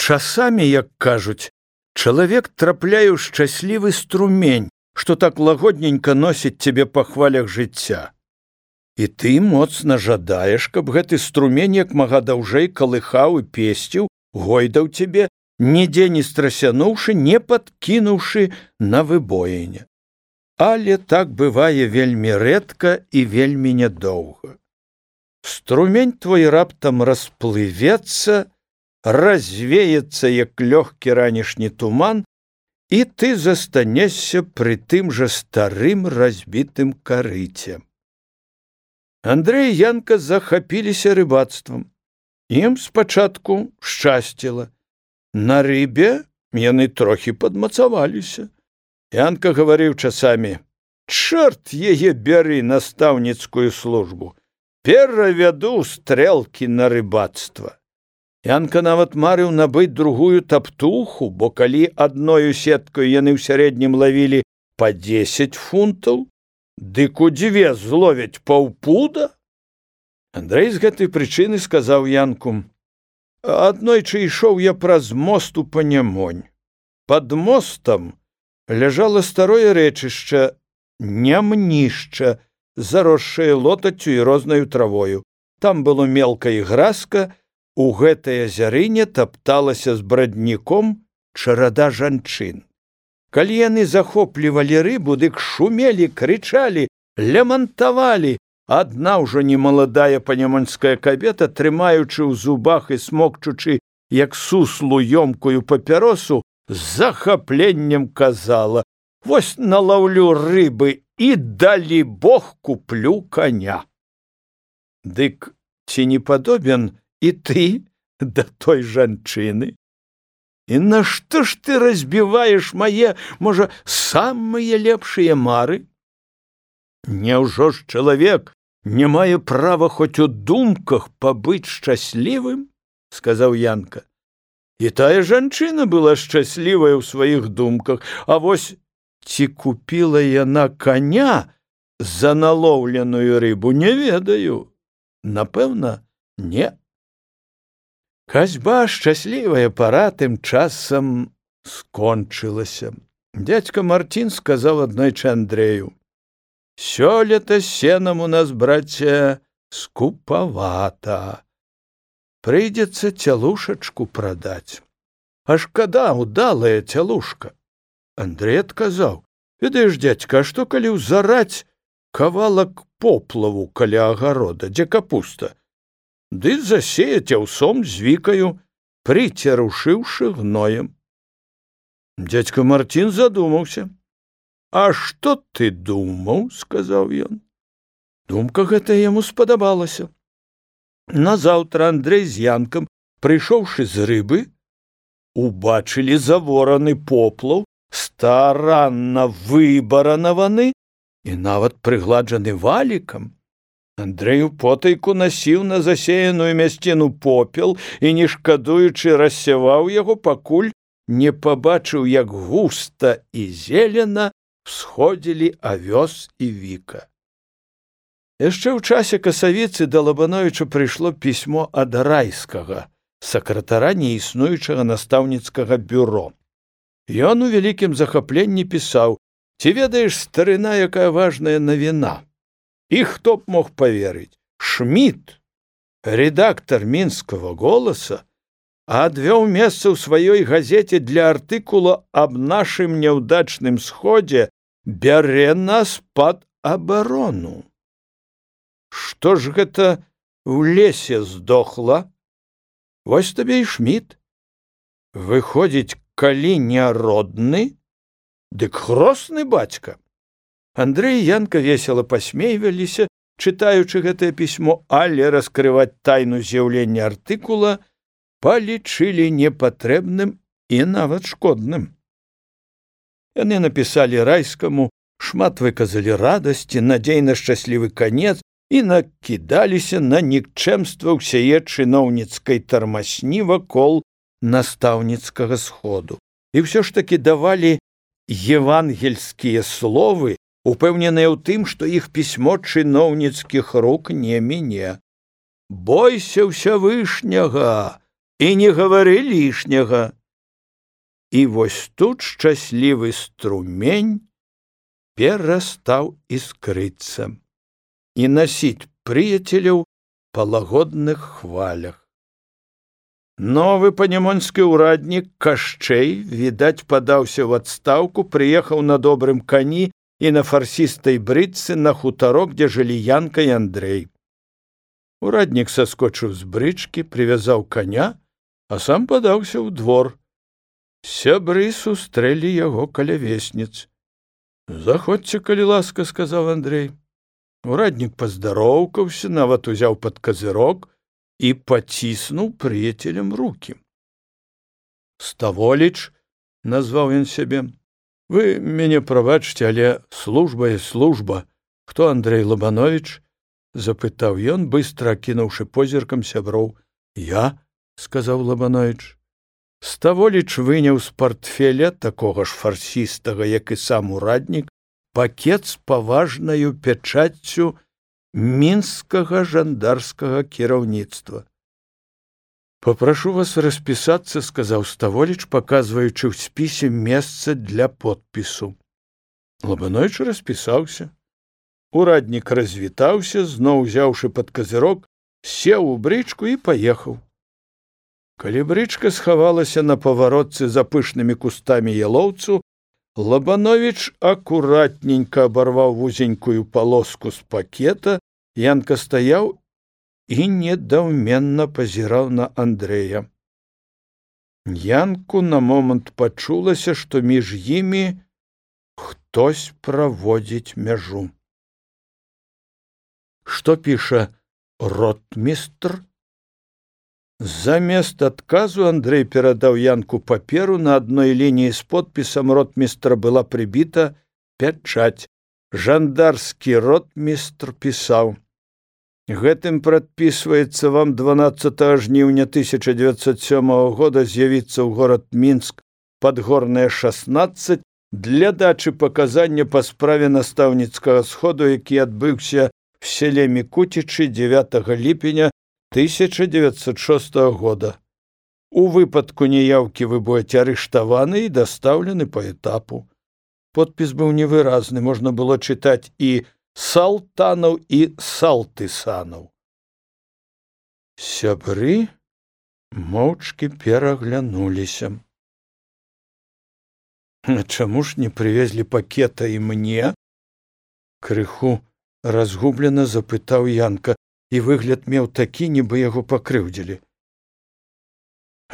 Часамі, як кажуць, чалавек трапляе ў шчаслівы струмень, што так лагодненька носіць цябе па хвалях жыцця. І ты моцна жадаеш, каб гэты струмень як мага даўжэй калыхаў і песціў, гойдаў цябе, нідзе не страсянуўшы, не падкінуўшы на выбоіне. Але так бывае вельмі рэдка і вельмі нядоўга. Струмень твой раптам расплывецца, развеецца, як лёгкі ранішні туман, і ты застанешся пры тым жа старым разбітым карыце. Андрэй і Янка захапіліся рыбацтвам. Ім спачатку шчасціла. На рыбе яны трохі падмацаваліся. Янка гаварыў часамі: «Чорт яе бяры настаўніцкую службу, перавяду стрэлкі на рыбацтва». Янка нават марыў набыць другую таптуху, бо калі адною сеткаю яны ў сярэднім лавілі па 10 фунтаў, дык у 2 зловяць паўпуда. Андрэй з гэтай прычыны сказаў Янку: «Аднойчы ішоў я праз мост у Панямонь. Пад мостам ляжала старое рэчышча, нямнішча, заросшае лотаццю і рознаю травою. Там было мелка і гразка, у гэтай азярыне тапталася з брадніком чарада жанчын. Калі яны захоплівалі рыбу, дык шумелі, крычалі, лямантавалі. Адна ўжо немаладая панямонская кабета, трымаючы ў зубах і смокчучы, як суслу ёмкую папяросу, з захапленнем казала: «Вось налаўлю рыбы і, далі Бог, куплю коня». Дык ці не падобен і ты да той жанчыны? І нашто ж ты разбіваеш мае, можа, самыя лепшыя мары? Няўжо ж чалавек не мае права хоць у думках пабыць шчаслівым? — сказаў Янка. І тая жанчына была шчаслівая ў сваіх думках, а вось ці купіла яна коня за налоўленую рыбу, не ведаю. Напэўна, не. Касьба шчаслівая пара тым часам скончылася. Дядька Мартин сказаў аднойчы Андрэю: «Сёлета сенам у нас, браце, скупавата. Прыйдзецца цялушачку прадаць. А шкада, удалая цялушка». Андрэй адказаў: «Ведаеш, дядька, а што калі ўзараць кавалак поплаву каля агарода, дзе капуста? Ды засеяць аўсом з вікаю, прыцярушыўшы гноем». Дядька Мартин задумаўся. «А што ты думаў?» — сказаў ён. Думка гэта яму спадабалася. Назаўтра Андрэй з Янкам, прыйшоўшы з рыбы, убачылі завораны поплаў, старанна выбаранаваны і нават прыгладжаны валікам. Андрэй потайку насіў на засеяную мясціну попел і, не шкадуючы, рассяваў яго, пакуль не пабачыў, як густа і зелена всходзілі авёс і віка. Яшчэ ў часе касавіцы да Лабановіча прыйшло пісьмо ад Райскага, сакратара неіснуючага настаўніцкага бюро. Ён у вялікім захапленні пісаў: «Ці ведаеш, старына, якая важная навіна? І хто б мог поверыць? Шмідт, редактор Мінскага голаса, адвёў месца ў сваёй газеце для артыкула аб нашым няўдачным сходзе, бярэ нас пад абарону. Што ж гэта ў лесе здохла? Вось табе і Шмідт. Выходзіць, калі не родны, дык хросны бацька». Андрэй і Янка весела пасмейваліся, чытаючы гэтае пісьмо, але раскрываць тайну з'яўлення артыкула палічылі непатрэбным і нават шкодным. Яны напісалі Райскаму, шмат выказалі радасці, надзей на шчаслівы канец і накідаліся на нікчэмства ўсяе чыноўніцкай тармасні вакол настаўніцкага сходу. І ўсё ж такі давалі евангельскія словы, упэўненыя ў тым, што іх пісьмо чыноўніцкіх рук не міне. «Бойся Всевышняга, і не гавары лішняга. І вось тут шчаслівы струмень перастаў іскрыцца і насіць прыяцеляў па лагодных хвалях. Новы панямонскі ўраднік Кашчэй, відаць, падаўся ў адстаўку, прыехаў на добрым кані і на фарсістай брычцы на хутарок, дзе жылі Янка і Андрэй. Ураднік саскочыў з брычкі, прывязаў каня, а сам падаўся ў двор. Сябры сустрэлі яго каля весніц. «Заходзьце, калі ласка», — сказаў Андрэй. Ураднік паздароўкаўся, нават узяў пад казырок і паціснуў прыяцелям рукі. «Ставоліч», — назваў ён сябе, — «вы мяне прабачце, але служба і служба. Хто Андрэй Лабановіч?» — запытаў ён, быстра акінуўшы позіркам сяброў. «Я», — сказаў Лабановіч. Ставоліч выняў з партфеля, такога ж фарсістага, як і сам ураднік, пакет з паважнаю пячаццю мінскага жандарскага кіраўніцтва. «Папрашу вас распісацца», — сказаў Ставоліч, паказваючы ў спісе месца для подпісу. Лабановіч распісаўся. Ураднік развітаўся, зноў узяўшы пад казырок, сеў у брычку і паехаў. Калі брычка схавалася на паваротцы за пышнымі кустамі ялоўцу, Лабановіч акуратненька абарваў вузенькую палоску з пакета, Янка стаяў і недаўменна пазіраў на Андрэя. Янку на момант пачулася, што між імі хтось праводзіць мяжу. «Што піша ротмістр?» Замест адказу Андрэй перадаў Янку паперу, на адной лініі з подпісам ротмістра была прыбіта пячаць. Жандарскі ротмістр пісаў: «Гэтым прадпісваецца вам 12 жніўня 1907 года з'явіцца ў горад Мінск, Падгорная 16, для дачы паказання па справе настаўніцкага сходу, які адбыўся в селе Мікуцічы 9 ліпеня 1906 года. У выпадку неяўкі вы будете арыштаваны і дастаўлены па этапу». Подпіс быў невыразны, можна было чытаць і «Салтанаў» і «Салтысанаў». Сябры моўчкі пераглянуліся. «А чаму ж не прывезлі пакета і мне?» Крыху разгублена запытаў Янка, і выгляд меў такі, нібы яго пакрыўдзілі.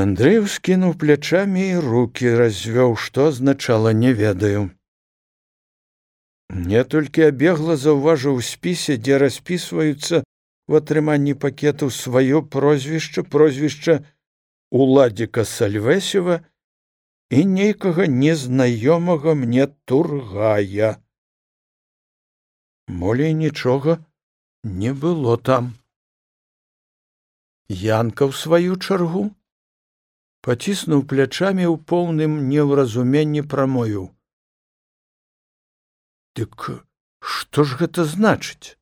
Андрэй ускінуў плячамі і рукі развёў, што азначала «не ведаю». Я толькі абегла заўважыў у спісе, дзе распісваюцца у атрыманні пакетаў сваё прозвішча, прозвішча Уладзіка Сальвэсева і нейкага незнаёмага мне Тургая. Болей нічога не было там. Янка, ў сваю чаргу, паціснуў плячамі ў поўным неўразуменні, прамовіў: «Дык што ж гэта значыць?»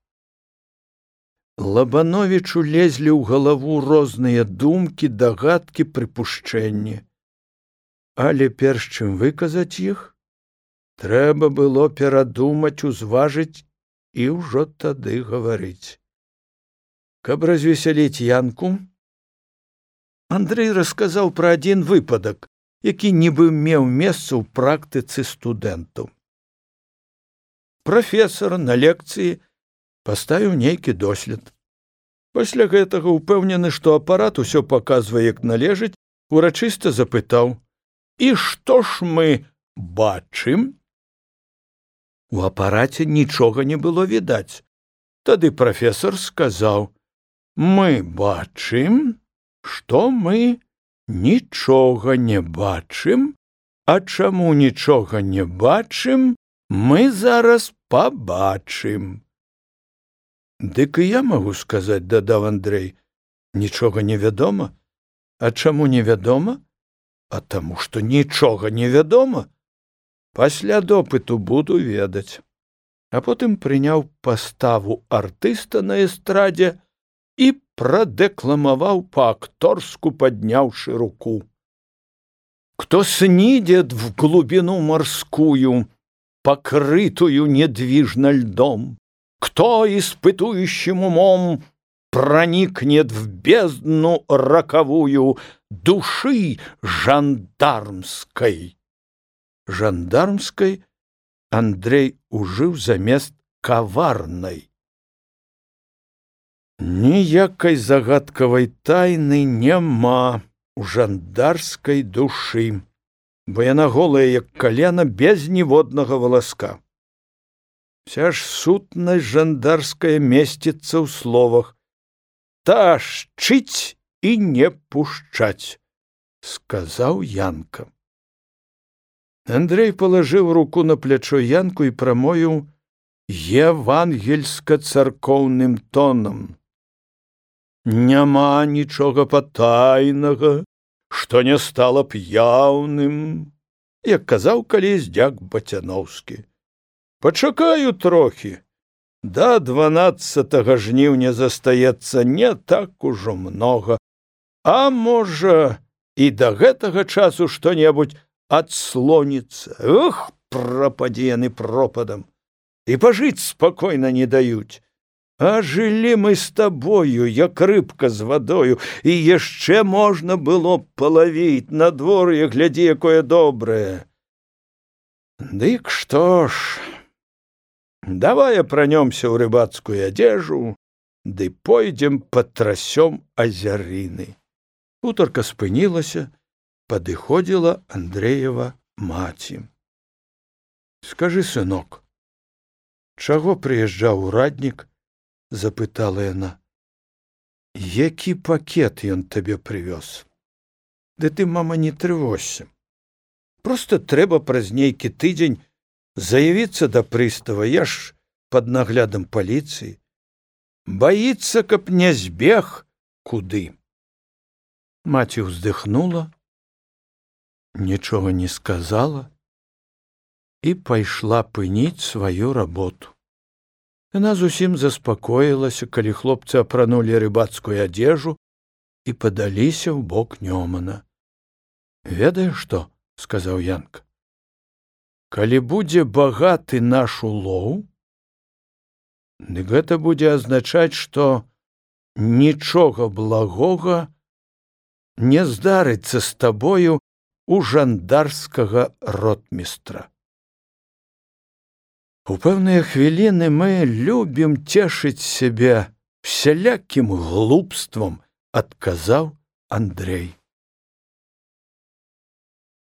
Лабановічу лезлі ў галаву розныя думкі, дагадкі, прыпушчэнні. Але перш чым выказаць іх, трэба было перадумаць, узважыць і ўжо тады гаварыць. Каб развесяліць Янку, Андрэй расказаў пра адзін выпадак, які нібы меў месца ў практыцы студэнтаў. Прафесар на лекцыі паставіў нейкі дослед. Пасля гэтага, упэўнены, што апарат усё паказвае як належыць, урачыста запытаў: «І што ж мы бачым?» У апараце нічога не было відаць. Тады прафесар сказаў: «Мы бачым, што мы нічога не бачым, а чаму нічога не бачым, мы зараз пабачым». «Дык і я магу сказаць», — дадаў Андрэй, — «нічога не вядома». «А чаму невядома?» «А таму, што нічога не вядома. Пасля допыту буду ведаць». А потым прыняў паставу артыста на эстрадзе і прадэкламаваў па-акторску, падняўшы руку. Кто снидет в глубину морскую, покрытую недвижно льдом, кто испытующим умом проникнет в бездну роковую души жандармской. Жандармской Андрей ужыў замест каварнай. Ніякай загадкавай тайны няма у жандарскай душы, бо яна голая, як калена, без ніводнага валаска. Вся ж сутнасць жандарская месціцца ў словах «ташчыць і не пушчаць», сказаў Янка. Андрей палажыў руку на плячо Янку і прамовіў евангельска-царкоўным тонам: «Няма нічога патайнага, што не стала б яўным», як казаў калісь дзяк Бацяноўскі. «Пачакаю трохі. Да 12 жніўня застаецца не так ужо многа, а можа, і да гэтага часу што-небудзь адслоніцца. Ох, прападзе яны пропадам. І пажыць спакойна не даюць. А жылі мы з табою, як рыбка з вадою, і яшчэ можна было б палавіць, надвор'е глядзі, якое добрае. Дык што ж, давай апранёмся ў рыбацкую адзежу, ды пойдзем патрасём азярыны. Гутарка спынілася, падыходзіла Андрэева маці. Скажы, сынок, чаго прыязджаў ураднік? Запытала яна. Які пакет ён табе прывёз? Ды ты, мама, не трывожся. Проста трэба праз нейкі тыдзень заявіцца да прыстава, я ж пад наглядам паліцыі. Баіцца, каб не збег куды. Маці ўздыхнула, нічога не сказала і пайшла пыніць сваю работу. Яна зусім заспакоілася, калі хлопцы апранулі рыбацкую адзежу і падаліся ў бок Нёмана. «Ведаеш што?» — сказаў Янка. «Калі будзе багаты наш улоў, дык гэта будзе азначаць, што нічога благога не здарыцца з табою у жандарскага ротмістра. У пэўныя хвіліны мы любім цешыць сябе всялякім глупствам», — адказаў Андрей.